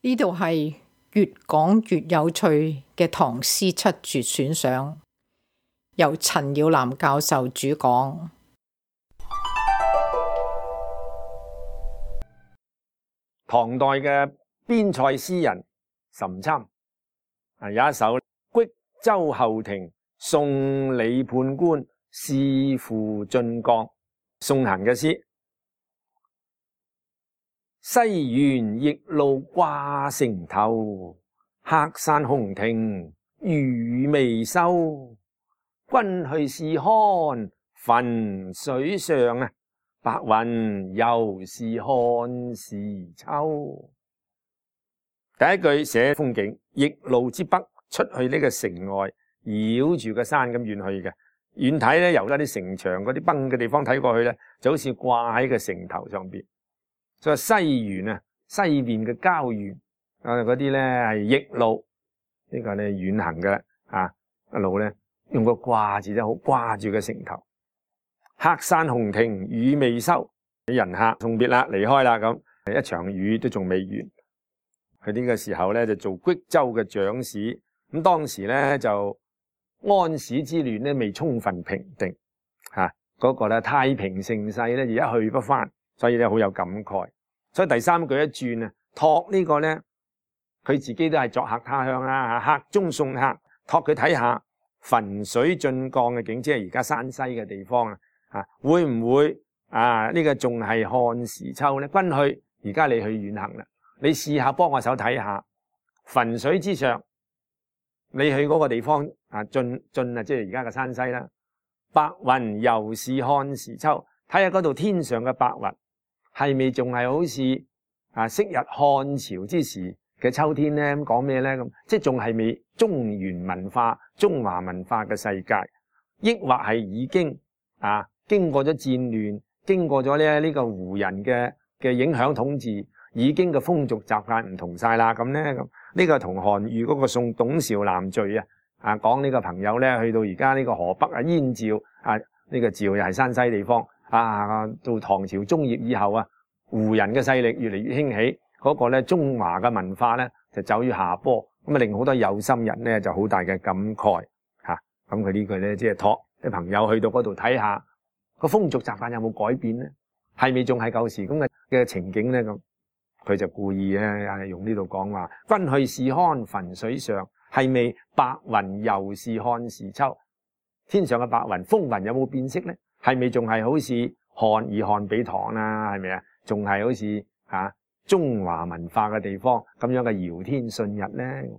呢度係越講越有趣嘅唐詩七絕選賞，由陳耀南教授主講。唐代嘅邊塞詩人岑參有一首《虢州後庭送李判官仕赴晉江》送行嘅詩。西園驛路掛城頭，黑山紅亭雨未收。君去試看汾水上，白雲又是漢時秋。第一句寫風景，驛路之北，出去呢個城外，繞住個山咁遠去嘅。遠睇咧，由嗰啲城牆嗰啲崩嘅地方睇過去咧，就好似掛喺個城頭上邊。所以西園西邊嘅郊園嗰啲咧係驛路，呢個咧遠行嘅一路咧用個掛字咧，好掛住個城頭。黑山紅亭雨未收，人客送別啦，離開啦，咁一場雨都仲未完。佢呢個時候咧就做虢州嘅長史，咁當時咧就安史之亂咧未充分平定，嗰個咧太平盛世咧就一去不返。所以咧好有感慨，所以第三句一轉託呢個咧，佢自己都係作客他鄉啦，客中送客，託佢睇下汾水晉江嘅景，即係而家山西嘅地方會唔會呢個仲係漢時秋咧？君去，而家你去遠行啦，你試下幫我手睇下汾水之上，你去嗰個地方晉即係而家嘅山西啦，白雲猶是漢時秋，睇下嗰度天上嘅白雲。係咪仲係好似昔日漢朝之時嘅秋天咧？咁講咩咧？咁即係仲係未中原文化、中華文化嘅世界，抑或係已經經過咗戰亂，經過咗呢個胡人嘅影響統治，已經嘅風俗習慣唔同晒啦。咁咧咁呢個同韓愈嗰個送董韶南序講呢個朋友咧去到而家呢個河北燕趙呢個趙又係山西地方。到唐朝中葉以後胡人嘅勢力越嚟越興起，嗰個咧中華嘅文化咧就走於下坡，咁令好多有心人咧就好大嘅感慨咁佢呢句咧即係託啲朋友去到嗰度睇下個風俗習慣有冇改變咧，係咪仲係舊時咁嘅情景咧？咁佢就故意咧用呢度講話，君去試看汾水上，係咪白雲猶是漢時秋？天上嘅白雲風雲有冇變色咧？係咪仲係好似漢以漢比唐啦？係咪啊？仲係好似中華文化嘅地方咁樣嘅遙天順日咧？